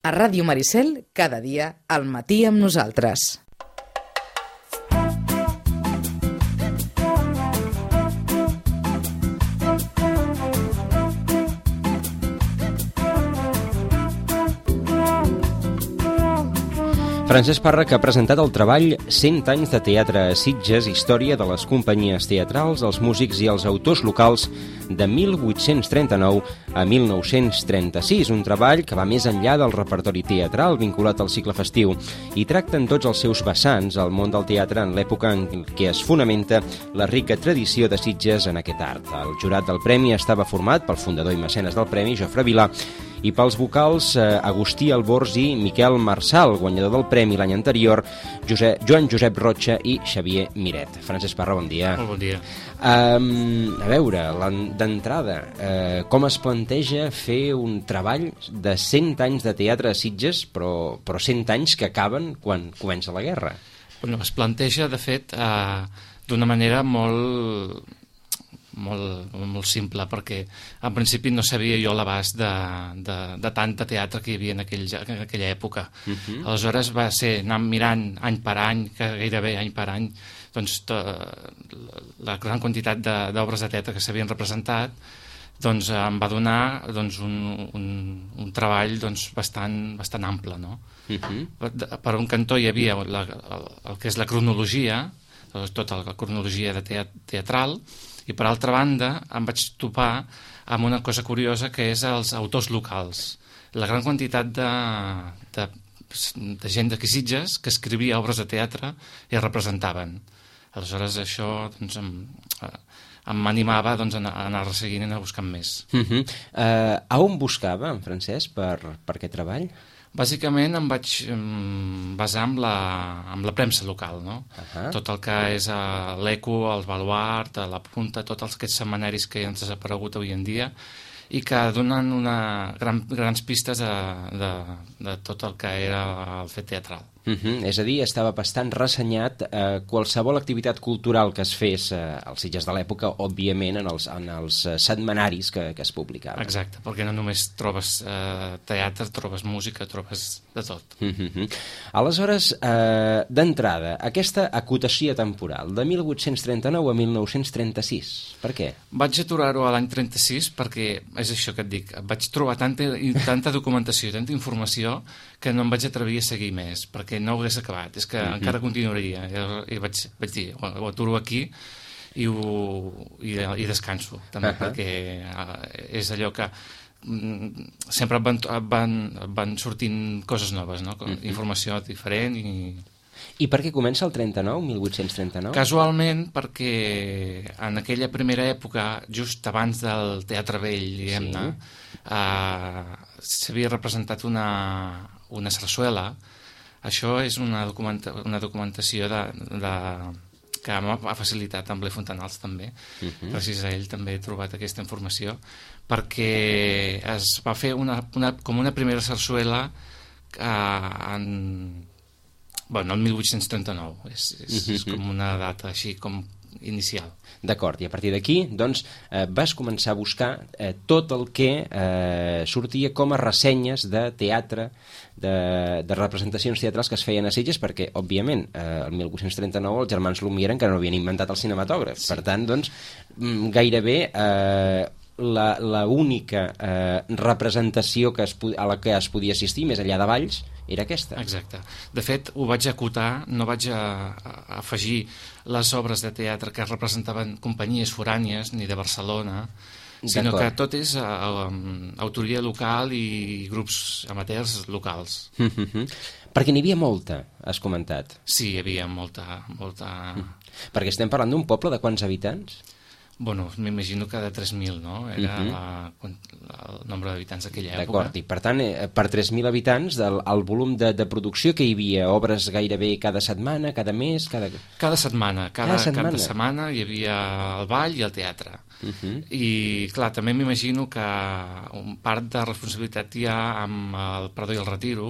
A Ràdio Maricel, cada dia, al matí amb nosaltres. Francesc Parra, que ha presentat el treball 100 anys de teatre a Sitges, història de les companyies teatrals, els músics i els autors locals de 1839 a 1936, un treball que va més enllà del repertori teatral vinculat al cicle festiu i tracta en tots els seus vessants el món del teatre en l'època en què es fonamenta la rica tradició de Sitges en aquest art. El jurat del premi estava format pel fundador i mecenes del premi, Jofre Vilà, i pels vocals Agustí Albors i Miquel Marçal, guanyador del premi l'any anterior, Joan Josep Rocha i Xavier Miret. Francesc Parra, bon dia. Molt bon dia. A veure, d'entrada, com es planteja fer un treball de 100 anys de teatre a Sitges, però 100 anys que acaben quan comença la guerra? Bueno, es planteja, de fet, d'una manera molt simple, perquè en principi no sabia jo l'abast de tant de teatre que hi havia en aquella època. Aleshores va ser anar mirant any per any, gairebé any per any, doncs la gran quantitat d'obres de teatre que s'havien representat, doncs em va donar un treball bastant ample, no? Per un cantó hi havia el que és la cronologia, tota la cronologia teatral, i per altra banda em vaig topar amb una cosa curiosa, que és els autors locals. La gran quantitat de gent d'aquí Sitges que escrivia obres de teatre i es representaven. Aleshores això m'animava a anar resseguint i anar buscant més. A on buscava en Francesc per aquest treball? Bàsicament em vaig basar amb la premsa local, no? Tot el que és l'Eco, el Baluart, la Punta, tots aquests setmanaris que han desaparegut avui en dia i que donen grans pistes de tot el que era el fet teatral. És a dir, estava bastant ressenyat qualsevol activitat cultural que es fes als Sitges de l'època, òbviament en els setmanaris que es publicaven. Exacte, perquè no només trobes teatre, trobes música, trobes de tot. Aleshores, d'entrada, aquesta acotació temporal de 1839 a 1936, per què? Vaig aturar-ho a l'any 36 perquè, és això que et dic, vaig trobar tanta documentació, tanta informació, que no em vaig atrevir a seguir més, perquè no ho hagués acabat, és que encara continuaria. I vaig dir, ho aturo aquí i descanso, també, perquè és allò que sempre van sortint coses noves, no? Informació diferent I per què comença el 39, 1839? Casualment, perquè en aquella primera època, just abans del Teatre Vell, diguem-ne, s'havia representat una sarsuela. Això és una documentació que m'ha facilitat amb Blai Fontanals també. Gràcies a ell també he trobat aquesta informació, perquè es va fer com una primera sarsuela el 1839. És com una data així com inicial. D'acord, i a partir d'aquí doncs, vas començar a buscar tot el que sortia com a ressenyes de teatre, de representacions teatrals que es feien a Sitges, perquè, òbviament, el 1839 els germans Lumière encara no havien inventat el cinematògraf. Per tant, doncs, gairebé la única representació a la que es podia assistir, més enllà de balls, era aquesta. Exacte. De fet, ho vaig acotar, no vaig afegir les obres de teatre que representaven companyies forànies, ni de Barcelona, sinó que tot és autoria local i grups amateurs locals. Perquè n'hi havia molta, has comentat. Sí, hi havia molta. Perquè estem parlant d'un poble de quants habitants? Bueno, m'imagino que de 3.000, no? Era el nombre d'habitants d'aquella època. D'acord, i per tant, per 3.000 habitants, el volum de producció que hi havia, obres gairebé cada setmana, cada mes... Cada setmana. Cada setmana hi havia el ball i el teatre. I, clar, també m'imagino que un part de responsabilitat hi ha amb el perdó i el retiro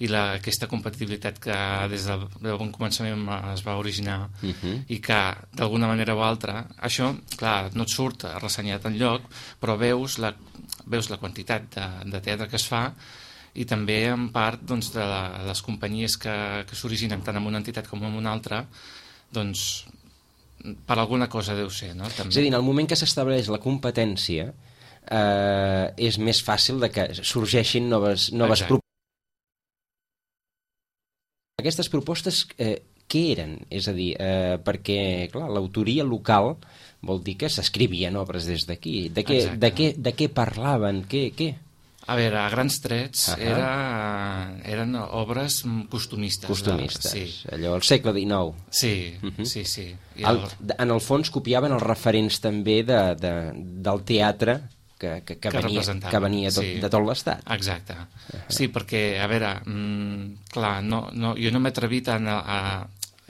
i aquesta compatibilitat que des del bon començament es va originar i que, d'alguna manera o altra, això, clar, no et surt ressenyat enlloc, però veus la quantitat de teatre que es fa i també en part doncs, de les companyies que s'originen tant en una entitat com en una altra, doncs per alguna cosa deu ser, no? També. És a dir, en el moment que s'estableix la competència és més fàcil de que sorgeixin noves propostes. Aquestes propostes què eren? És a dir, perquè clar, l'autoria local vol dir que s'escrivien obres des d'aquí. De què parlaven? Què? A veure, a grans trets eren obres costumistes. Costumistes, sí. Allò, al segle XIX. Sí, sí. En el fons copiaven els referents també del teatre que venia de tot l'Estat. Exacte. Sí, perquè, a veure, clar, jo no m'he atrevit a...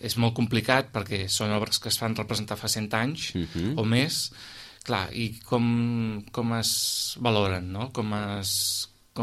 És molt complicat perquè són obres que es fan representar fa 100 anys o més. Clar, i com es valoren, no? Com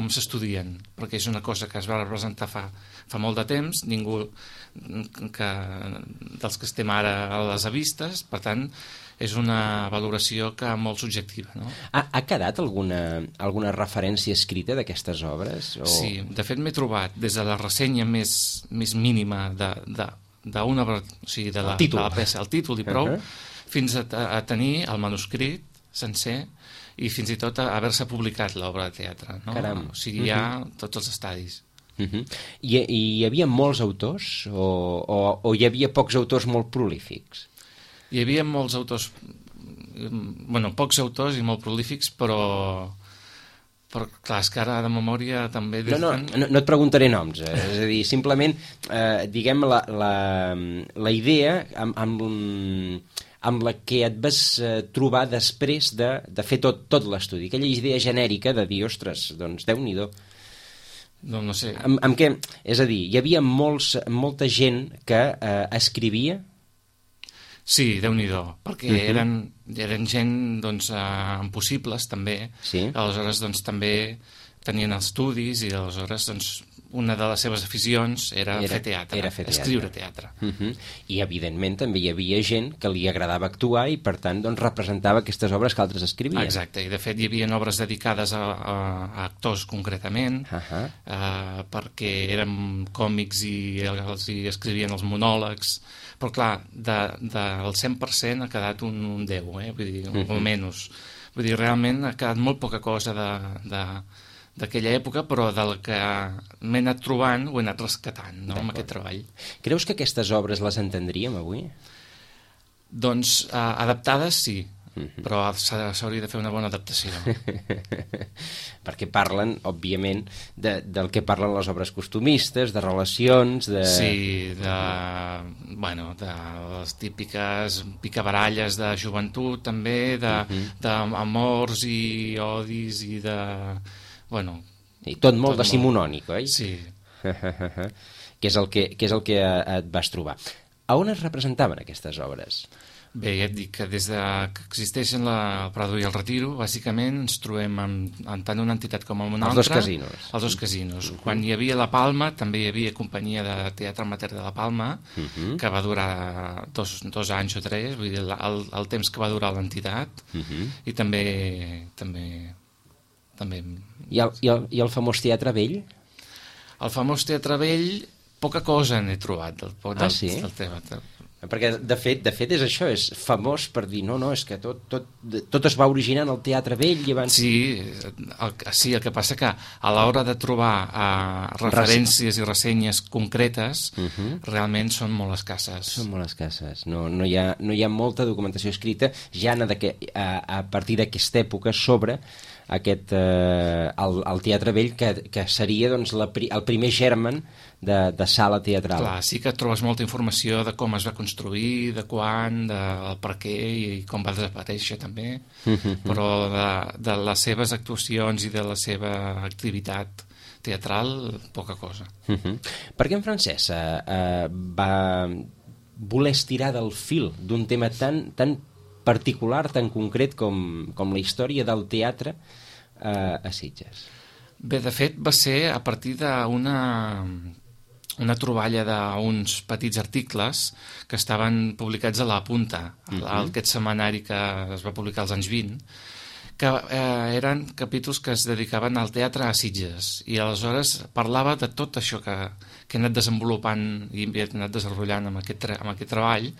s'estudien, perquè és una cosa que es va representar fa molt de temps, ningú dels que estem ara a les avistes, per tant, és una valoració molt subjectiva, no? Ha quedat alguna referència escrita d'aquestes obres? Sí, de fet m'he trobat des de la ressenya més mínima d'una obra, o sigui, de la peça, el títol i prou, fins a tenir el manuscrit sencer i fins i tot haver-se publicat l'obra de teatre, no? Caram. O sigui, hi ha tots els estadis. I hi havia molts autors o hi havia pocs autors molt prolífics? Hi havia molts autors, pocs autors i molt prolífics, però clar, és que ara de memòria també... No et preguntaré noms, és a dir, simplement, diguem, la idea amb la que et vas trobar després de fer tot l'estudi, aquella idea genèrica de dir, ostres, doncs Déu-n'hi-do. No sé. Amb què? És a dir, hi havia molta gent que escrivia? Sí, Déu-n'hi-do, perquè eren gent doncs, amb possibles també, aleshores doncs, també tenien estudis i aleshores doncs, una de les seves aficions era fer teatre, escriure teatre. I evidentment també hi havia gent que li agradava actuar i per tant doncs, representava aquestes obres que altres escrivien. Exacte, i de fet hi havia obres dedicades a actors concretament, perquè eren còmics i els escrivien els monòlegs, però clar, del 100% ha quedat un 10, vull dir, o menys. Vull dir, realment ha quedat molt poca cosa d'aquella època, però del que m'he anat trobant ho he anat rescatant, no?, amb aquest treball. Creus que aquestes obres les entendríem avui? Doncs adaptades sí, però s'hauria de fer una bona adaptació. Perquè parlen, òbviament, del que parlen les obres costumistes, de relacions... Sí, de les típiques picabaralles de joventut, també, d'amors i odis i de... I tot molt decimonònic, oi? Sí. Que és el que et vas trobar. A on es representaven aquestes obres? Bé, ja et dic que des que existeixen el Prado i el Retiro, bàsicament ens trobem en tant una entitat com en una altra. Els dos casinos. Quan hi havia La Palma, també hi havia companyia de teatre amateur de La Palma, que va durar 2 anys o 3, vull dir, el temps que va durar l'entitat, i també... I el famós Teatre Vell? El famós Teatre Vell, poca cosa n'he trobat del teatre. Perquè, de fet, és això, és famós per dir, no, és que tot es va originar en el Teatre Vell i abans... Sí, el que passa que a l'hora de trobar referències i ressenyes concretes, realment són molt escasses. Són molt escasses, no hi ha molta documentació escrita ja a partir d'aquesta època sobre el Teatre Vell, que seria doncs, el primer germen de sala teatral. Clar, sí que trobes molta informació de com es va construir, de quan, del per què i com va desaparèixer també, però de les seves actuacions i de la seva activitat teatral, poca cosa. Per què en Francesc va voler estirar del fil d'un tema tan particular, tan concret com la història del teatre a Sitges? Bé, de fet, va ser a partir d'una troballa d'uns petits articles que estaven publicats a La Punta, aquest setmanari que es va publicar als anys 20, que eren capítols que es dedicaven al teatre a Sitges, i aleshores parlava de tot això que he anat desenvolupant i he anat desenvolupant amb aquest treball,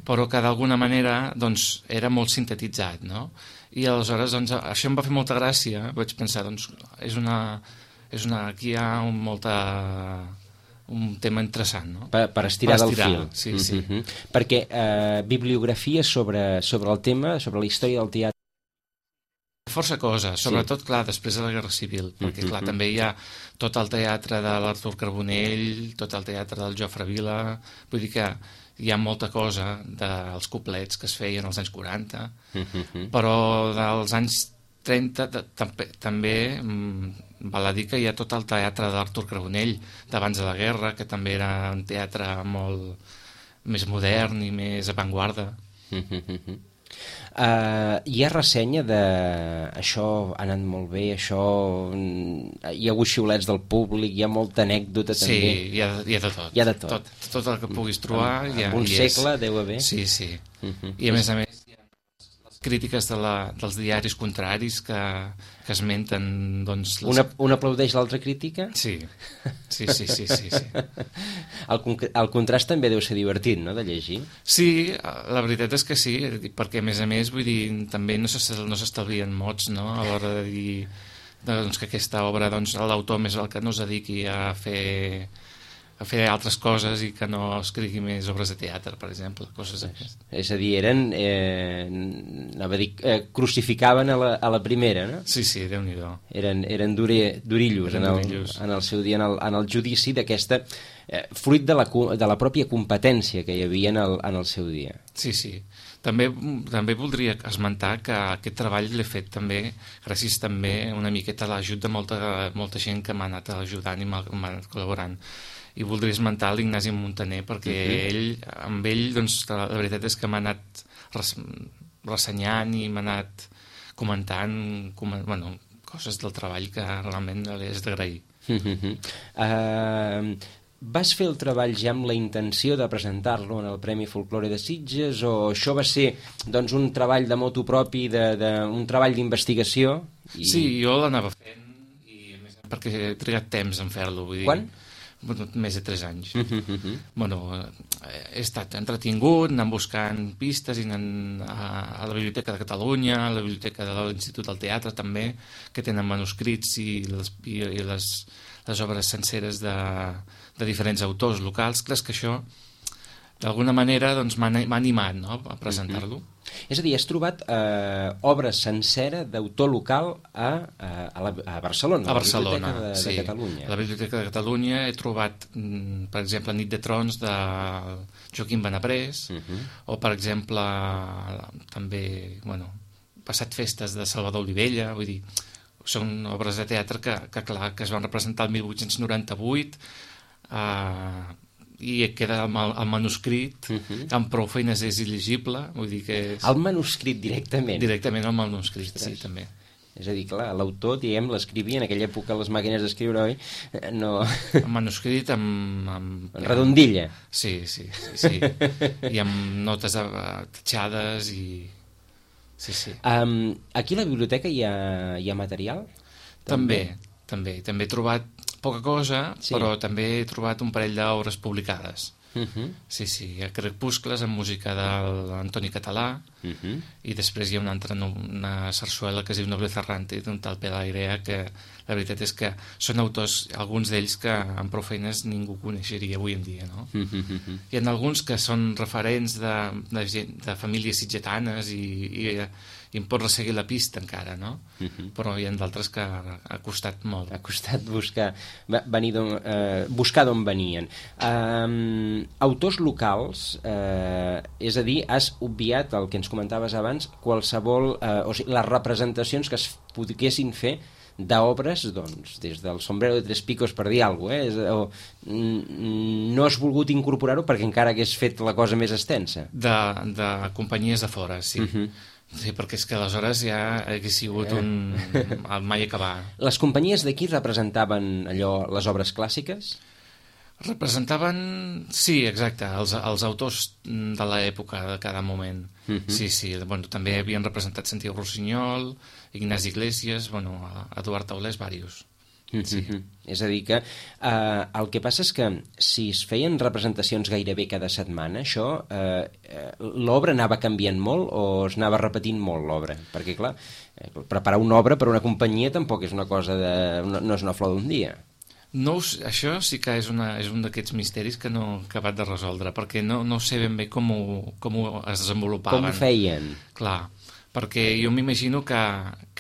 però que d'alguna manera doncs, era molt sintetitzat, no? I aleshores doncs, això em va fer molta gràcia, vaig pensar, doncs, aquí hi ha un tema interessant, no? Per estirar del fil. Sí, sí. Perquè bibliografia sobre el tema, sobre la història del teatre. Força coses, sobretot, clar, després de la Guerra Civil, perquè, clar, també hi ha tot el teatre de l'Artur Carbonell, tot el teatre del Jofre Vila, vull dir que hi ha molta cosa dels couplets que es feien als anys 40, però dels anys 30 també val a dir que hi ha tot el teatre d'Artur Carbonell d'abans de la guerra, que també era un teatre molt més modern i més avantguarda. Hi ha ressenya de això ha anat molt bé, això hi ha hagut xiulets del públic, hi ha molta anècdota també. Sí, hi ha de tot. Hi ha de tot. Tot el que puguis trobar un segle deu haver. Sí. I a més hi ha les crítiques dels diaris contraris que esmenten doncs, un aplaudeix l'altra crítica? Sí. El contrast també deu ser divertit, no?, de llegir. Sí, la veritat és que sí, perquè a més, vull dir, també no s'estalvien mots, no?, a l'hora de dir doncs, que aquesta obra, doncs, l'autor més val que no es dediqui a fer altres coses i que no escrigui més obres de teatre, per exemple, coses d'aquestes. És a dir, crucificaven a la primera, no? Sí, Déu-n'hi-do. Eren durillos en el seu dia, en el judici d'aquesta, fruit de la pròpia competència que hi havia en el seu dia. Sí. També voldria esmentar que aquest treball l'he fet també gràcies també una miqueta a l'ajut de molta gent que m'ha anat ajudant i m'ha anat col·laborant. I voldria esmentar l'Ignasi Montaner perquè amb ell doncs, la veritat és que m'ha anat ressenyant i m'ha anat comentant coses del treball que realment li és d'agrair. Vas fer el treball ja amb la intenció de presentar-lo en el Premi Folklore de Sitges o això va ser doncs, un treball de motu propi, un treball d'investigació? Sí, jo l'anava fent i a més perquè he trigat temps en fer-lo. Quan? Més de 3 anys. He estat entretingut, anant buscant pistes i anant a la Biblioteca de Catalunya, a la Biblioteca de l'Institut del Teatre també, que tenen manuscrits i les obres senceres de diferents autors locals. Clar, que això d'alguna manera doncs, m'ha animat, no?, a presentar-lo. És a dir, has trobat obra sencera d'autor local a Barcelona, a Barcelona, de Catalunya. A la Biblioteca de Catalunya he trobat, per exemple, Nit de Trons de Joaquim Benaprés, o, per exemple, també, Passat Festes de Salvador Olivella, vull dir, són obres de teatre que es van representar el 1898, i queda el manuscrit amb prou feines és il·legible, vull dir que el manuscrit directament el manuscrit, sí, també. És a dir, clar, l'autor, diguem, l'escrivia en aquella època les màquines d'escriure, oi? No... El manuscrit amb redondilla. Sí, i amb notes tatxades i... Sí. Aquí a la biblioteca hi ha material? També he trobat poca cosa, però també he trobat un parell d'obres publicades. Sí, hi ha Crepuscles amb música de l'Antoni Català i després hi ha una sarsuela que es diu Nobleza Errante d'un tal Pelairea, que la veritat és que són autors, alguns d'ells que amb prou feines ningú coneixeria avui en dia, no? Hi ha alguns que són referents de famílies sitgetanes i em pot resseguir la pista encara, no? Però hi ha d'altres que ha costat molt. Ha costat buscar d'on venien. Autors locals, és a dir, has obviat el que ens comentaves abans, qualsevol, o sigui, les representacions que es poguessin fer d'obres, doncs, des del Sombrero de Tres Picos, per dir alguna cosa, no has volgut incorporar-ho perquè encara hagués fet la cosa més extensa. De companyies de fora, sí. Sí, perquè és que aleshores ja hagués sigut el mai acabar. Les companyies d'aquí representaven allò, les obres clàssiques? Representaven, sí, exacte, els autors de l'època de cada moment. Sí, bueno, també havien representat Santiago Rossinyol, Ignasi Iglesias, bueno, Eduard Taulés, diversos. Sí. És a dir que el que passa és que si es feien representacions gairebé cada setmana, això l'obra anava canviant molt o es anava repetint molt l'obra? Perquè clar, preparar una obra per a una companyia tampoc és una cosa no és una flor d'un dia. No, això sí que és un d'aquests misteris que no he acabat de resoldre, perquè no sé ben bé com es desenvolupaven. Com ho feien? Clar, perquè jo m'imagino que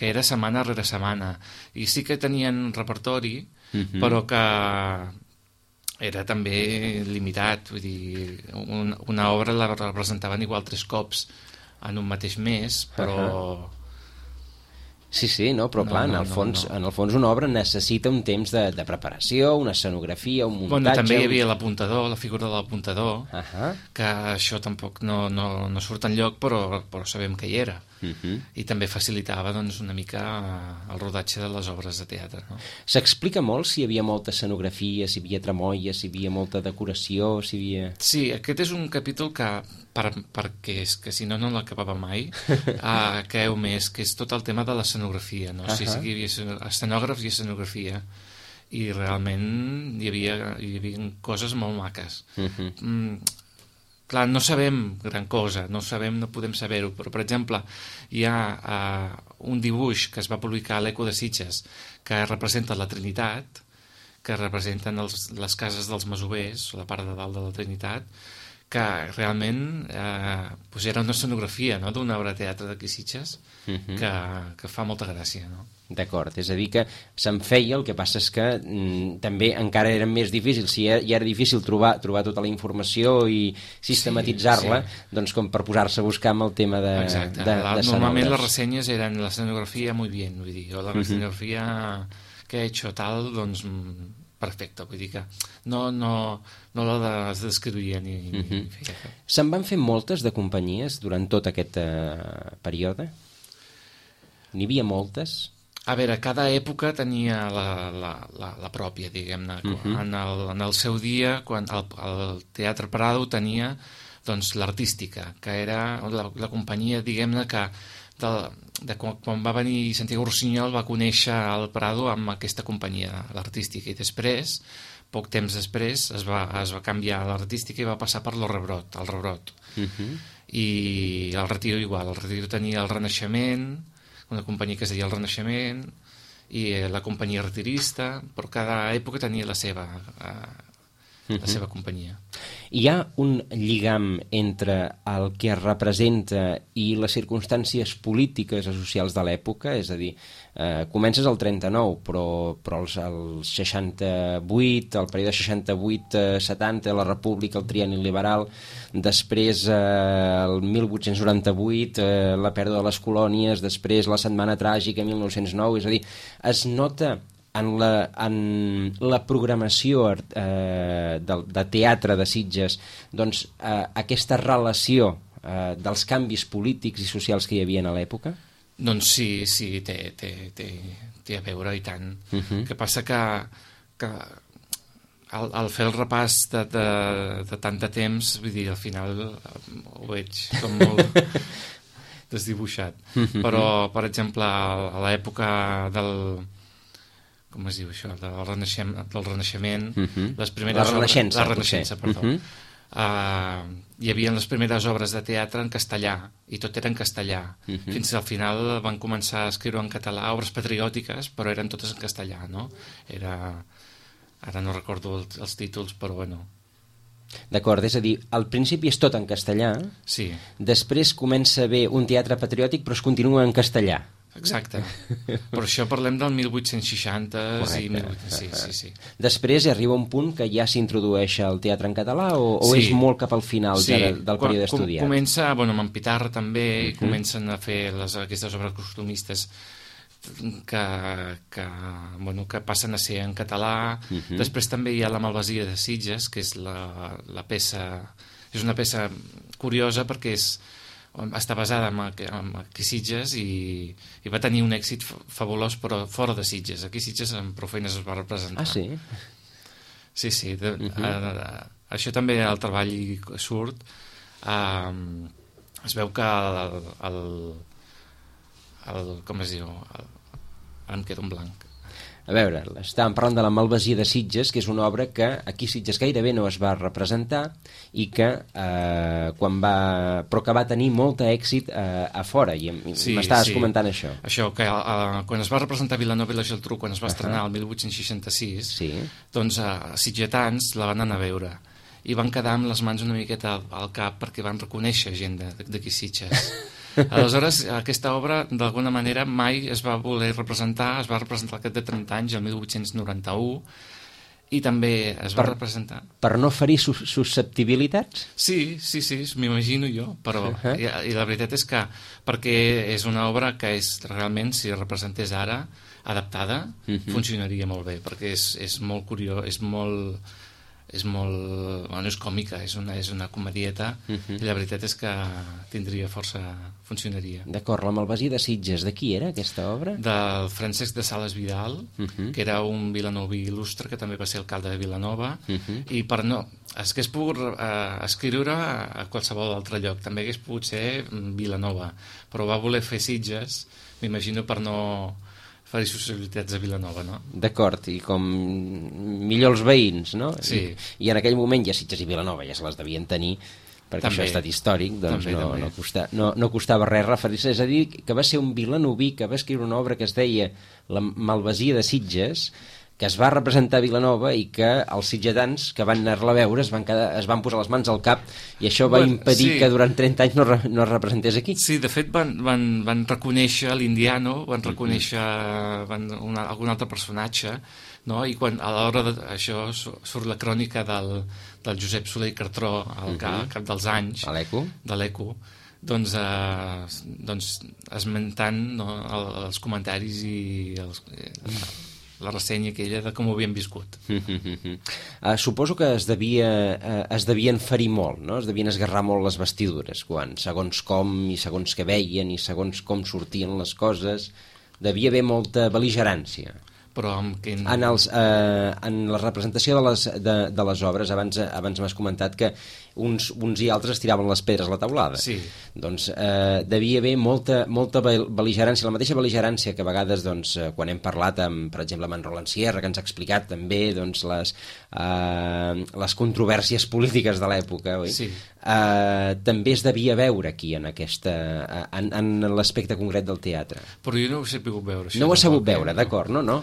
era setmana rere setmana, i sí que tenien repertori, però que era també limitat, vull dir, una obra la representaven igual 3 cops en un mateix mes, però... Sí, no, però clar, en el fons una obra necessita un temps de preparació, una escenografia, un muntatge... Bueno, també hi havia l'apuntador, la figura de l'apuntador, que això tampoc no surt enlloc, però sabem que hi era. I també facilitava doncs, una mica el rodatge de les obres de teatre. No? S'explica molt si hi havia molta escenografia, si hi havia tremolla, si hi havia molta decoració, si hi havia... Sí, aquest és un capítol que, perquè és que si no l'acabava mai, creu més, que és tot el tema de l'escenografia. No? Sí, hi havia escenògrafs i escenografia, i realment hi havia coses molt maques. Clar, no sabem gran cosa, no podem saber-ho, però, per exemple, hi ha un dibuix que es va publicar a l'Eco de Sitges que representa la Trinitat, que representen les cases dels masovers, la part de dalt de la Trinitat, que realment era una escenografia d'una obra de teatre d'aquí Sitges que fa molta gràcia, no? D'acord, és a dir que se'n feia, el que passa és que també encara era més difícil, si ja era difícil trobar tota la informació i sistematitzar-la, doncs com per posar-se a buscar amb el tema de normalment les ressenyes eren l'escenografia muy bien, vull dir, o la escenografia que he hecho tal, doncs perfecte, vull dir que no la descrivia ni feia cap. Se'n van fer moltes de companyies durant tot aquest període? N'hi havia moltes? A veure, cada època tenia la pròpia, diguem-ne. En el seu dia, quan el Teatre Prado tenia doncs, l'artística, que era la companyia, diguem-ne, que quan va venir Santiago Rossinyol va conèixer el Prado amb aquesta companyia, l'artística, i després, poc temps després, es va canviar l'artística i va passar per el Rebrot. I el Retiro igual, el Retiro tenia el Renaixement, una companyia que es deia el Renaixement, i la companyia retirista, però cada època tenia la seva companyia. Hi ha un lligam entre el que es representa i les circumstàncies polítiques o socials de l'època? És a dir, comences al 39, però el 68, el període 68-70, la República, el trienni liberal, després el 1898, la pèrdua de les colònies, després la Setmana Tràgica, 1909, és a dir, es nota en la programació de teatre de Sitges doncs, aquesta relació dels canvis polítics i socials que hi havia a l'època? Doncs sí, té a veure, i tant. El que passa que al fer el repàs de tant de temps, vull dir, al final ho veig com molt desdibuixat. Però, per exemple, a l'època del... com es diu això? Del Renaixement, les primeres la Renaixença, la Renaixença, perdó. Hi havia les primeres obres de teatre en castellà, i tot era en castellà. Fins al final van començar a escriure en català obres patriòtiques, però eren totes en castellà, no? Ara no recordo els títols, però bueno. D'acord, és a dir, al principi és tot en castellà, sí. Després comença a haver un teatre patriòtic, però es continua en castellà. Exacte. Per això parlem del 1860 i sí. Després arriba un punt que ja s'introdueix el teatre en català o és molt cap al final del període estudiat? Comença, amb en Pitarra també, comencen a fer aquestes obres costumistes que passen a ser en català. Després també hi ha la Malvasia de Sitges, que és la peça, és una peça curiosa perquè està basada en Sitges i va tenir un èxit fabulós, però fora de Sitges. Aquí Sitges amb prou feines es va representar. Ah, sí? Sí, sí. Això també el treball surt. Es veu que com es diu? Em queda un blanc. A veure, estàvem parlant de la Malvasia de Sitges, que és una obra que aquí a Sitges gairebé no es va representar i que però que va tenir molt èxit a fora, i m'estaves comentant això. Això, que quan es va representar Vilanova i la Geltrú, quan es va estrenar el 1866, doncs sitgetans la van anar a veure i van quedar amb les mans una miqueta al cap perquè van reconèixer gent d'aquí Sitges. Aleshores, aquesta obra, d'alguna manera, mai es va voler representar, es va representar al cap de 30 anys, el 1891, i també es va representar... Per no ferir susceptibilitats? Sí, m'imagino jo, però i la veritat és que, perquè és una obra que realment, si es representés ara, adaptada, funcionaria molt bé, perquè és molt curiós, és còmica, és una comedieta, i la veritat és que funcionaria. D'acord, la Malvasia de Sitges, de qui era aquesta obra? Del Francesc de Sales Vidal, que era un vilanoví il·lustre, que també va ser alcalde de Vilanova, i per no... Es que es pogut escriure a qualsevol altre lloc, també hagués pogut ser Vilanova, però va voler fer Sitges, m'imagino, per no fer susceptibilitats a Vilanova, no? D'acord, i com millor els veïns, no? Sí. I en aquell moment ja Sitges i Vilanova ja se les devien tenir, perquè també, això ha estat històric, doncs no costava res referir-se. És a dir, que va ser un vilanoví que va escriure una obra que es deia La Malvasia de Sitges, que es va representar a Vilanova i que els sitgetans que van anar-la a veure es van posar les mans al cap i això va impedir que durant 30 anys no es representés aquí. Sí, de fet van reconèixer l'Indiano, van reconèixer algun altre personatge, no? I quan a l'hora d'això surt la crònica del Josep Soler i Cartró al cap dels anys de l'Eco, doncs esmentant els comentaris i la ressenya aquella de com ho havien viscut. Suposo que es devien ferir molt, no? Es devien esgarrar molt les vestidures, segons com i segons què veien i segons com sortien les coses. Devia haver molta bel·ligerància. Però en la representació de les obres, abans m'has comentat que uns i altres tiraven les pedres a la teulada. Sí. Doncs devia haver molta bel·ligerància, la mateixa bel·ligerància que a vegades, doncs, quan hem parlat per exemple amb en Roland Sierra, que ens ha explicat també doncs, les controvèrsies polítiques de l'època, oi? Sí. També es devia veure aquí en l'aspecte concret del teatre. Però jo no ho he sabut veure. No ho has sabut veure, d'acord, no? No.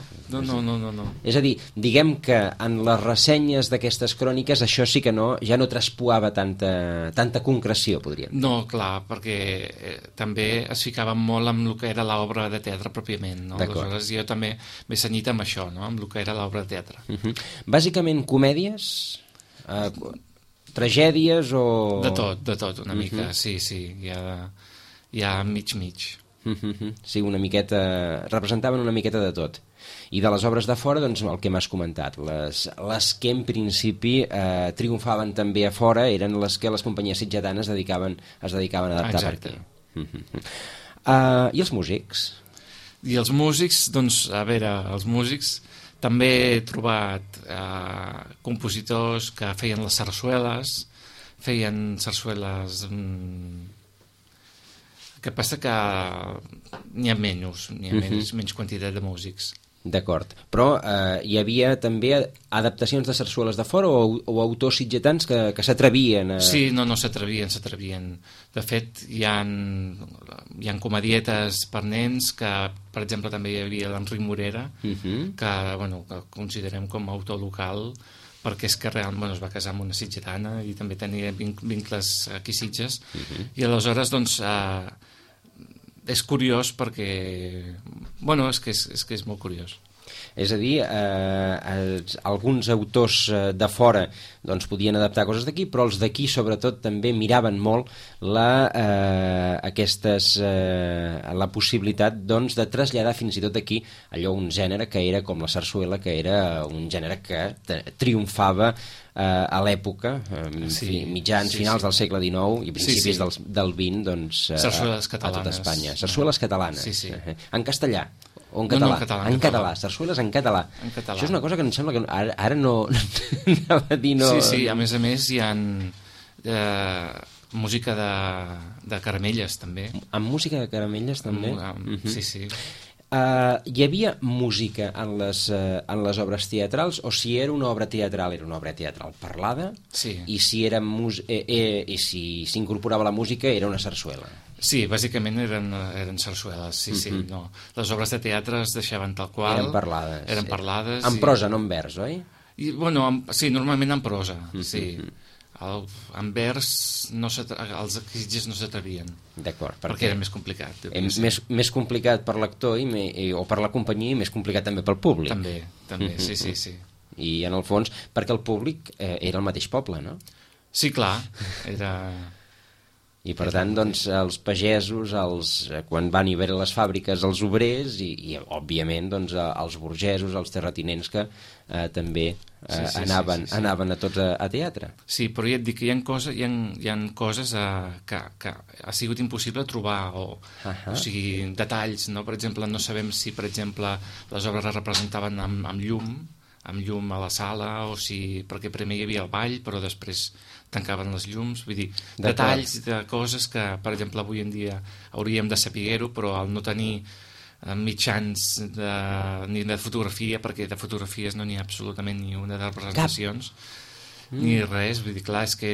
És a dir, diguem que en les ressenyes d'aquestes cròniques això sí que ja no traspuava tanta concreció, podríem dir. No, clar, perquè també es ficava molt amb el que era l'obra de teatre pròpiament, no? Aleshores jo també m'he cenyit amb això, no? Amb el que era l'obra de teatre. Bàsicament comèdies, tragèdies o... De tot, una mica, sí, hi ha mig. Sí, una miqueta, representaven una miqueta de tot. I de les obres de fora, doncs el que m'has comentat, les que en principi triomfaven també a fora eren les que les companyies sitgetanes es dedicaven a adaptar per aquí. I els músics? I els músics, doncs, a veure, els músics també he trobat compositors que feien les sarsueles, que passa que n'hi ha menys quantitat de músics. D'acord, però hi havia també adaptacions de sarsueles de fora o autors sitgetans que s'atrevien a... Sí, no s'atrevien. De fet, hi ha comedietes per nens que, per exemple, també hi havia l'Enric Morera, que considerem com a autor local, perquè és que realment es va casar amb una sitgetana i també tenia vincles aquí a Sitges, i aleshores, doncs, és curiós perquè... és que és molt curiós. És a dir, alguns autors de fora doncs, podien adaptar coses d'aquí, però els d'aquí sobretot també miraven molt la possibilitat doncs, de traslladar fins i tot aquí allò un gènere que era com la sarsuela, que era un gènere que triomfava a l'època, finals del segle XIX i principis del XX, doncs, sarsueles catalanes. A tot Espanya. Sarsueles catalanes. Sí. En castellà? O en català? En català. Sarsueles en català. En català. Això és una cosa que em sembla que ara no... anava a dir no... Sí, a més hi ha música de caramelles, també. Amb música de caramelles, també? Sí. Hi havia música en les obres teatrals, o si era una obra teatral parlada, sí. I si si s'incorporava la música era una sarsuela? Sí, bàsicament eren sarsueles, sí. No. Les obres de teatre es deixaven tal qual. Eren parlades. En prosa, no en vers, oi? Sí, normalment en prosa, sí. En vers els Sitges no s'atrevien. D'acord. Perquè era més complicat. Més complicat per l'actor o per la companyia i més complicat també pel públic. També, sí. I en el fons, perquè el públic era el mateix poble, no? Sí, clar, era... I per tant, doncs, els pagesos, quan van hi veure les fàbriques, els obrers i òbviament, doncs, els burgesos, els terratinents que també anaven a tots a teatre. Sí, però ja et dic que hi ha coses que ha sigut impossible trobar, o sigui, detalls, no? Per exemple, no sabem si, per exemple, les obres es representaven amb llum a la sala, o si, perquè primer hi havia el ball, però després tancaven les llums, vull dir, detalls de coses que, per exemple, avui en dia hauríem de saber-ho, però al no tenir mitjans ni de fotografia, perquè de fotografies no n'hi ha absolutament ni una de representacions, ni res, vull dir, clar, és que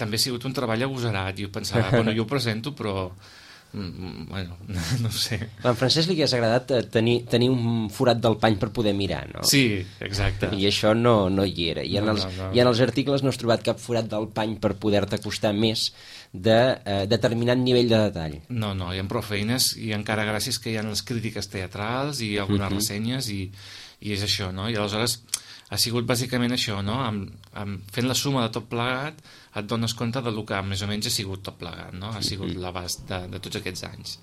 també ha sigut un treball agosarat. Jo pensava, jo ho presento, però bueno, no ho sé. A en Francesc li hagués agradat tenir un forat del pany per poder mirar, no? Sí, exacte. I això no hi era. I en els articles no has trobat cap forat del pany per poder-te acostar més de determinat nivell de detall. No, hi ha prou feines, i encara gràcies que hi ha les crítiques teatrals i algunes ressenyes, i és això, no? I aleshores ha sigut bàsicament això, no? Fent la suma de tot plegat et dones compte del que més o menys ha sigut tot plegat, no? Ha sigut l'abast de tots aquests anys.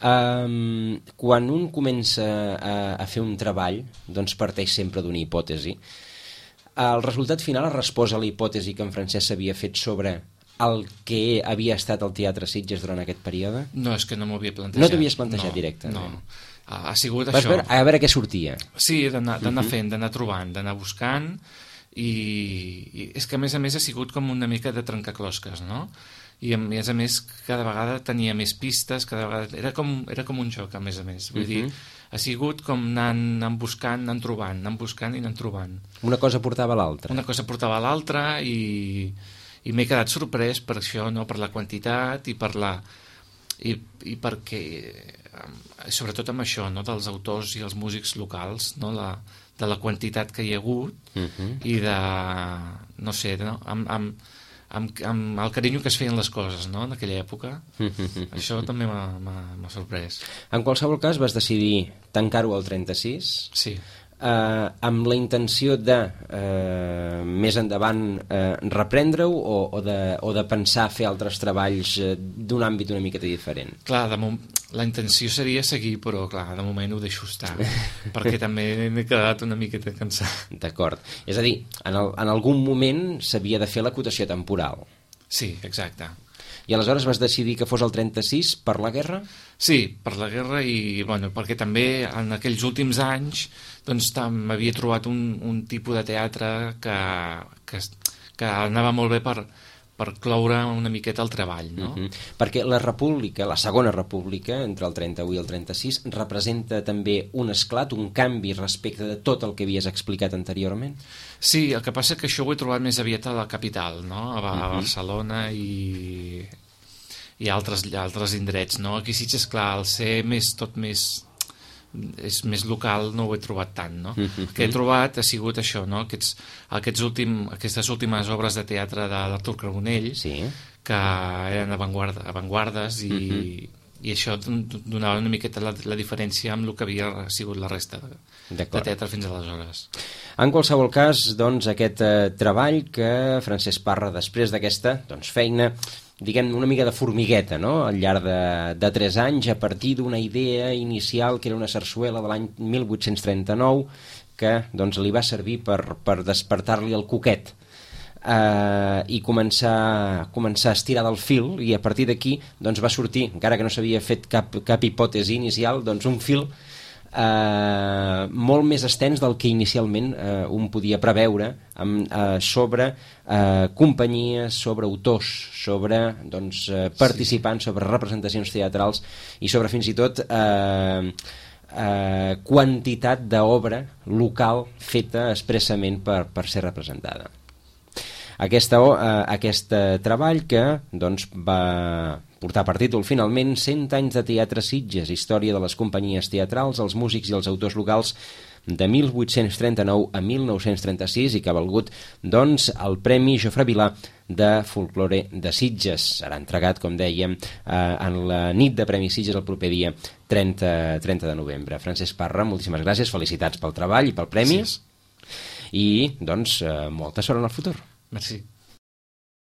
Quan un comença a fer un treball, doncs parteix sempre d'una hipòtesi. El resultat final es resposa a la hipòtesi que en Francesc s'havia fet sobre el que havia estat el Teatre Sitges durant aquest període? No, és que no m'ho havia plantejat. No t'havies plantejat directament? No. Ha sigut això. A veure què sortia. Sí, d'anar fent, d'anar trobant, d'anar buscant, i és que a més ha sigut com una mica de trencaclosques, no? I a més cada vegada tenia més pistes, cada vegada era com un joc, a més. Vull dir, ha sigut com anant buscant, anant trobant, anant buscant i anant trobant. Una cosa portava a l'altra. Una cosa portava a l'altra, i m'he quedat sorprès per això, no? Per la quantitat i per i perquè sobretot amb això, no? Dels autors i els músics locals, no? De la quantitat que hi ha hagut, i de, no sé, no? Amb el carinyo que es feien les coses, no? En aquella època. Això també m'ha sorprès. En qualsevol cas vas decidir tancar-ho al 36. Sí. Amb la intenció de més endavant reprendre-ho, o de pensar fer altres treballs d'un àmbit una miqueta diferent? Clar, la intenció seria seguir, però clar, de moment ho deixo estar, perquè també m'he quedat una miqueta cansat. D'acord. És a dir, en algun moment s'havia de fer l'acotació temporal. Sí, exacte. I aleshores vas decidir que fos el 36 per la guerra? Sí, per la guerra, i bueno, perquè també en aquells últims anys doncs m'havia trobat un tipus de teatre que anava molt bé per cloure una miqueta el treball, no? Perquè la República, la Segona República, entre el 31 i el 36, representa també un esclat, un canvi respecte de tot el que havies explicat anteriorment? Sí, el que passa és que això ho he trobat més aviat a la capital, no? A Barcelona i altres indrets, no? Aquí sí, esclar, al ser és més local, no ho he trobat tant, no? El que he trobat ha sigut això, no? Aquestes últimes obres de teatre de l'Artur Carbonell, que eren avantguardes, i això donava una miqueta la diferència amb el que havia sigut la resta de teatre fins aleshores. En qualsevol cas, doncs, aquest treball que Francesc Parra, després d'aquesta feina, diguem, una mica de formigueta, no? Al llarg de 3 anys, a partir d'una idea inicial que era una sarsuela de l'any 1839, que doncs li va servir per despertar-li el coquet i començar a estirar del fil, i a partir d'aquí doncs va sortir, encara que no s'havia fet cap hipòtesi inicial, doncs un fil molt més extens del que inicialment un podia preveure, sobre companyies, sobre autors, sobre participants, sobre representacions teatrals i sobre fins i tot quantitat d'obra local feta expressament per ser representada. Aquest treball que va portar per títol finalment 100 anys de teatre Sitges, història de les companyies teatrals, els músics i els autors locals de 1839 a 1936 i que ha valgut el Premi Jofre Vilà de Folklore de Sitges. Serà entregat, com dèiem, en la nit de Premi Sitges el proper dia 30 de novembre. Francesc Parra, moltíssimes gràcies, felicitats pel treball i pel premi. Gràcies. I molta sort en el futur. Merci.